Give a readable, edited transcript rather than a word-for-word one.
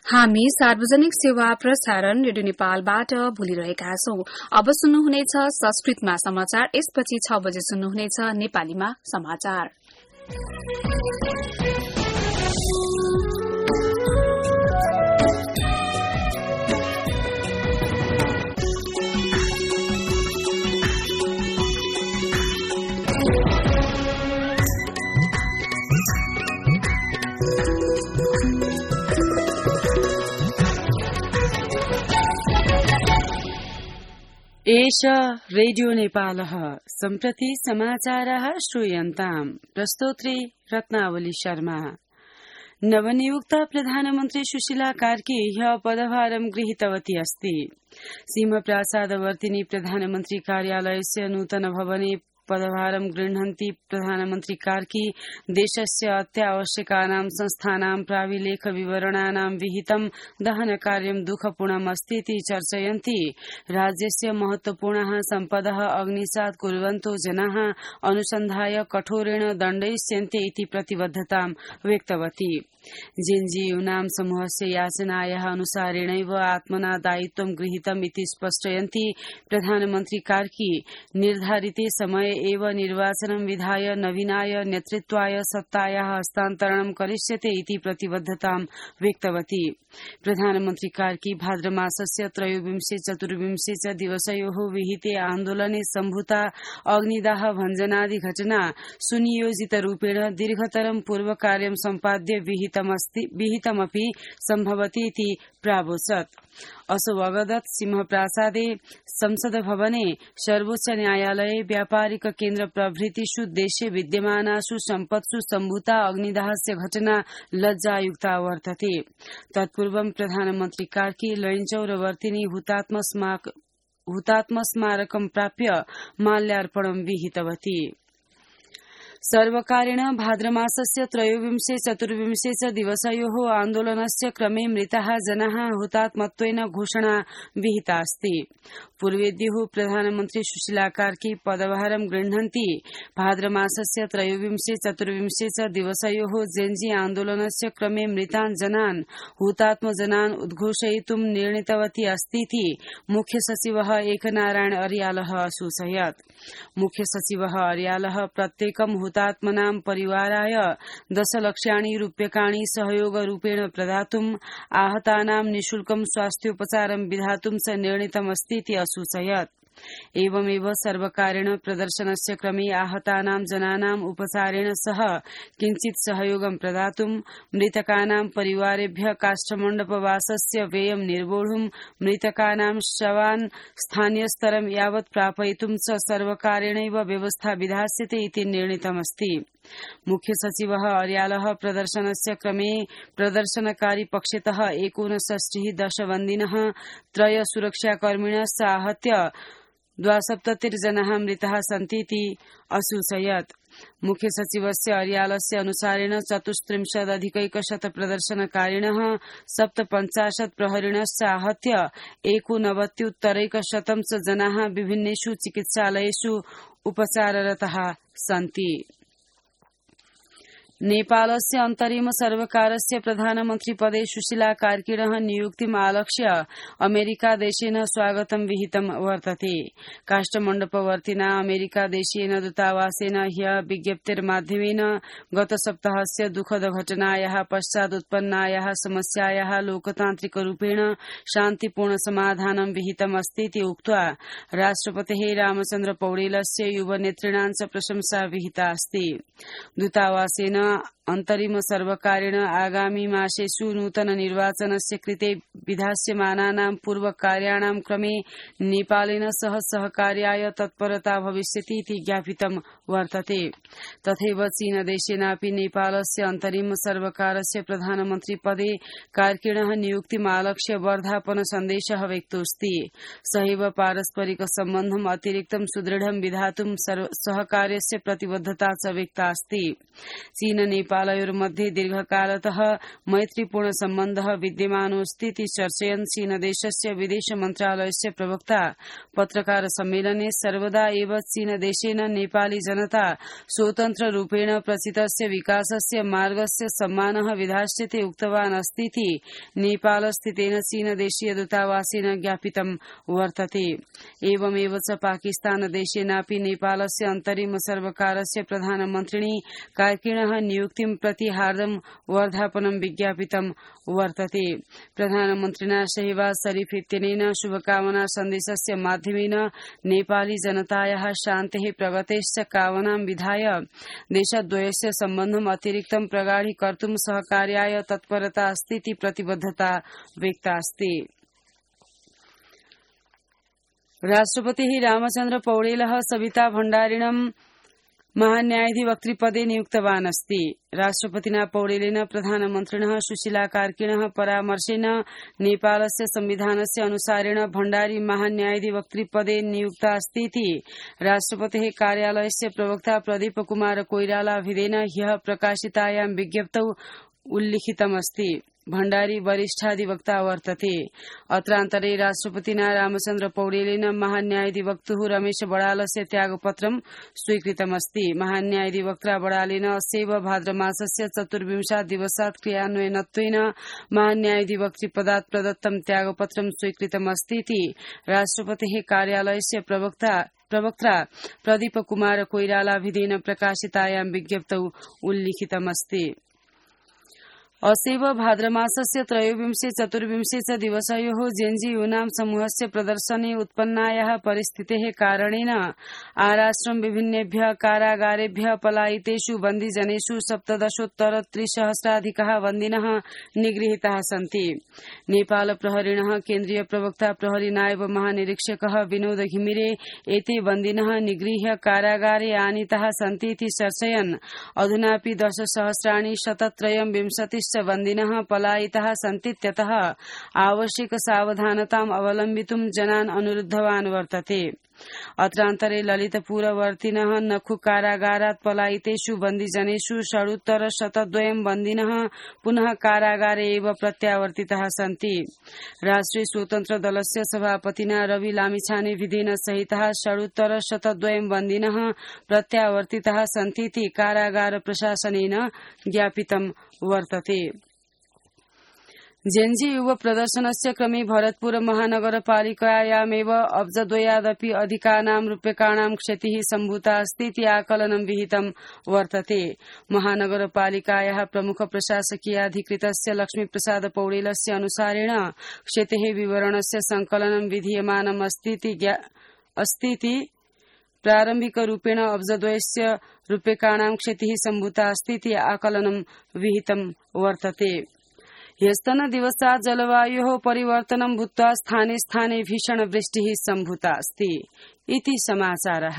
हामी सार्वजनिक सेवा प्रसारण रेडियो नेपालबाट बोलिरहेका छौं। अब सुन्नुहुनेछ संस्कृतमा समाचार, यसपछि 6 बजे सुन्नुहुनेछ नेपालीमा समाचार। एष रेडियो नेपालः सम्प्रति समाचारः श्रूयन्ताम्। प्रस्तोत्री रत्नावली शर्मा। नवनियुक्त प्रधानमन्त्री सुशीला कार्की ह्यः पदभारं गृहीतवती अस्ति। सिंहप्रासादवर्तिनी प्रधानमन्त्री कार्यालयस्य नूतन भवने पदभारं गृह्णन्ती प्रधानमन्त्री कार्की देशस्य अत्यावश्यकानां संस्थानां प्राविलेख विवरणानां विहितं दहनकार्यं दुःखपूर्णम् अस्ति इति चर्चयन्ती राज्यस्य महत्वपूर्णः सम्पदः अग्निसात् कुर्वन्तो जनाः अनुसन्धाय कठोरेण दण्डयिष्यन्ते इति प्रतिबद्धतां व्यक्तवती। जेएनयू समूहस्य याचनायाः अनुसारेणैव आत्मना दायित्वं गृहीतम् इति स्पष्टयन्ती प्रधानमन्त्री कार्की निर्धारिते समये एव निर्वाचनं विधाय नवीनाय नेतृत्वाय सत्तायाः हस्तान्तरणं करिष्यते इति प्रतिबद्धतां व्यक्तवती। प्रधानमन्त्री कार्की भाद्रमासस्य 23-24 च दिवसयोः विहिते आन्दोलने सम्भूता अग्निदाह भञ्जनादि घटना सुनियोजितरूपेण दीर्घतरं पूर्वकार्यं सम्पाद्य विहितमपि सम्भवति इति प्रावोचत्। असौ अवगत सिंहप्रासादे संसद भवने सर्वोच्च न्यायालये व्यापारिक केन्द्र प्रभृतिषु देशे विद्यमानासु सम्पत्सु सम्भूता अग्निदाहस्य घटना लज्जायुक्ता वर्तते। तत्पूर्वं प्रधानमन्त्री कार्की लैनचौरवर्तिनी हुतात्म स्मारकं प्राप्य माल्यार्पणं विहितवती। सर्वकारेण भाद्रमासस्य 23-24 च दिवसयोः आन्दोलनस्य क्रमे मृताः जनाः हुतात्मत्वेन घोषणा विहिता अस्ति। पूर्वेद्युः प्रधानमन्त्री सुशीला कार्की पदभारं गृह्णन्ती भाद्रमासस्य 23-24 च दिवसयोः जेएनजी आन्दोलनस्य क्रमे मृतान् जनान् हुतात्मजनान् उद्घोषयितुं निर्णीतवती अस्तीति मुख्य सचिवः एकनारायण अर्यालः असूचयत्। मुख्य सचिवः अर्यालः प्रत्येकं हुतात्मनां परिवाराय 10 लक्षाणि रूप्यकाणि सहयोगरूपेण प्रदातुम् आहतानां निःशुल्कं स्वास्थ्योपचारं विधातुं च निर्णीतमस्तीति असूचयत्। एवमेव सर्वकारेण प्रदर्शनस्य क्रमे आहतानां जनानाम् उपचारेण सह किञ्चित् सहयोगं प्रदातुं मृतकानां परिवारेभ्यः काष्ठमण्डपवासस्य व्ययं निर्वोढुं मृतकानां शवान् स्थानीयस्तरं यावत् प्रापयितुं च सर्वकारेणैव व्यवस्था विधास्यते इति निर्णीतमस्ति। मुख्य सचिवः अर्यालः प्रदर्शनस्य क्रमे प्रदर्शनकारी पक्षतः 69 दशबन्दिनः 3 सुरक्षाकर्मिणश्च आहत्य 72 जनाः मृताः सन्तीति असूचयत्। मुख्य सचिवस्य अर्यालस्य अनुसारेण 34,100 प्रदर्शनकारिणः 57 प्रहरिणश्च आहत्य 89 च जनाः विभिन्नेषु चिकित्सालयेषु उपचाररताः सन्ति। नेपालस्य अन्तरिम सर्वकारस्य प्रधानमन्त्री पदे सुशीला कार्किणः नियुक्तिम् आलक्ष्य अमेरिका देशेन स्वागतं विहितं वर्तते। काष्ठमण्डपवर्तिना अमेरिका देशीयेन दूतावासेन ह्यः विज्ञप्तिर्माध्यमेन गत सप्ताहस्य दुःखद घटनायाः पश्चात् उत्पन्नायाः समस्यायाः लोकतान्त्रिकरूपेण शान्तिपूर्ण समाधानं विहितम् अस्तीति उक्त्वा राष्ट्रपतेः रामचन्द्र पौडेलस्य युवनेतॄणां च प्रशंसा विहिता अस्ति। दूतावासेन अन्तरिम सर्वकारेण आगामी मासेषु नूतन निर्वाचनस्य कृते विधास्यमानानां पूर्वकार्याणां क्रमे नेपालेन सह सहकार्याय तत्परता भविष्यति इति ज्ञापितं वर्तते। तथैव चीनदेशेनापि नेपालस्य अन्तरिम सर्वकारस्य प्रधानमन्त्री पदे कार्किणः नियुक्तिम् आलक्ष्य वर्धापन सन्देशः व्यक्तोऽस्ति। सहैव पारस्परिक सम्बन्धम् अतिरिक्तं सुदृढं विधातुं सहकार्यस्य प्रतिबद्धता च व्यक्ता अस्ति। चीन नेपालयोर्मध्ये दीर्घकालतः मैत्रीपूर्ण सम्बन्धः विद्यमानोऽस्ति इति चर्चयन् चीनदेशस्य विदेश मन्त्रालयस्य प्रवक्ता पत्रकार सम्मेलने सर्वदा एव चीनदेशेन नेपाली जनता स्वतन्त्ररूपेण प्रचितस्य विकासस्य मार्गस्य सम्मानः विधास्यते उक्तवान् अस्ति इति नेपालस्थितेन चीनदेशीय दूतावासेन ज्ञापितं वर्तते। एवमेव च पाकिस्तानदेशेनापि नेपालस्य अन्तरिम सर्वकारस्य प्रधानमन्त्रिणी कार्किणः नियुक्तिं प्रति हार्दं वर्धापनं विज्ञापितं वर्तते। प्रधानमन्त्रिणा शहबाज शरीफ इत्यनेन शुभकामना सन्देशस्य माध्यमेन नेपाली जनतायाः शान्तेः प्रगतेश्च कामनां विधाय देशद्वयस्य सम्बन्धम् अतिरिक्तं प्रगाढीकर्तुं सहकार्याय तत्परता अस्ति इति प्रतिबद्धता व्यक्ता अस्ति। राष्ट्रपतिः रामचन्द्र पौडेलः सविता भण्डारिणं महान्यायाधिवक्तृपदे नियुक्तवान् अस्ति। राष्ट्रपतिना पौडेलेन प्रधानमन्त्रिणः सुशीला कार्किणः परामर्शेन नेपालस्य संविधानस्य अनुसारेण भण्डारी महान्यायाधिवक्तृपदे नियुक्ता अस्ति इति राष्ट्रपतेः कार्यालयस्य प्रवक्ता प्रदीप कुमार कोइरालाभिधेन ह्यः प्रकाशितायां विज्ञप्तौ उल्लिखितमस्ति। भण्डारी वरिष्ठाधिवक्ता वर्तते। अत्रान्तरे राष्ट्रपतिना रामचन्द्र पौडेलेन महान्यायाधिवक्तुः रमेश बडालस्य त्यागपत्रं स्वीकृतमस्ति। महान्यायाधिवक्ता बडालेन अस्यैव भाद्रमासस्य 24 दिवसात् क्रियान्वयनत्वेन महान्यायाधिवक्तृपदात् प्रदत्तं त्यागपत्रं स्वीकृतमस्ति इति राष्ट्रपतेः कार्यालयस्य प्रवक्ता प्रदीप कुमार कोइरालाभिधेन प्रकाशितायां विज्ञप्तौ उल्लिखितमस्ति। अस्यैव भाद्रमासस्य 23-24 च दिवसयोः जेन्जी यूनां समूहस्य प्रदर्शने उत्पन्नायाः परिस्थितेः कारणेन आराष्ट्रं विभिन्नेभ्यः कारागारेभ्यः पलायितेषु बन्दिजनेषु 17,300 बन्दिनः निगृहीताः सन्ति। नेपाल प्रहरिणः केन्द्रीय प्रवक्ता प्रहरी नायब महानिरीक्षकः विनोद घिमिरे एते बन्दिनः निगृह्य कारागारे आनीताः सन्ति इति चर्चयन् अधुनापि 10,123 बन्दिनः पलायिताः सन्तीत्यतः आवश्यक सावधानताम् अवलम्बितुं जनान् अनुरुद्धवान् वर्तते। अत्रान्तरे ललितपुरवर्तिनः नखु कारागारात् पलायितेषु बन्दिजनेषु 102 बन्दिनः पुनः कारागारे एव प्रत्यावर्तिताः सन्ति। राष्ट्रिय स्वतन्त्र दलस्य सभापतिना रवि लामिछाने विधेन सहितः 102 बन्दिनः प्रत्यावर्तिताः सन्ति इति कारागार प्रशासनेन ज्ञापितं वर्तते। जेन्जी युव प्रदर्शनस्य क्रमे भरतपुर महानगरपालिकायामेव अब्जद्वयादपि अधिकानां रूप्यकाणां क्षतिः सम्भूता अस्ति इति आकलनं विहितं वर्तते। महानगरपालिकायाः प्रमुख प्रशासकीयाधिकृतस्य लक्ष्मीप्रसाद पौडेलस्य अनुसारेण क्षतेः विवरणस्य संकलनं विधीयमानम् अस्ति इति प्रारम्भिकरूपेण अब्जद्वयस्य रूप्यकाणां क्षतिः सम्भूता अस्ति इति आकलनं विहितं वर्तते। ह्यस्तनदिवसात् जलवायोः परिवर्तनं भूत्वा स्थाने स्थाने भीषणवृष्टिः सम्भूता अस्ति इति समाचारः।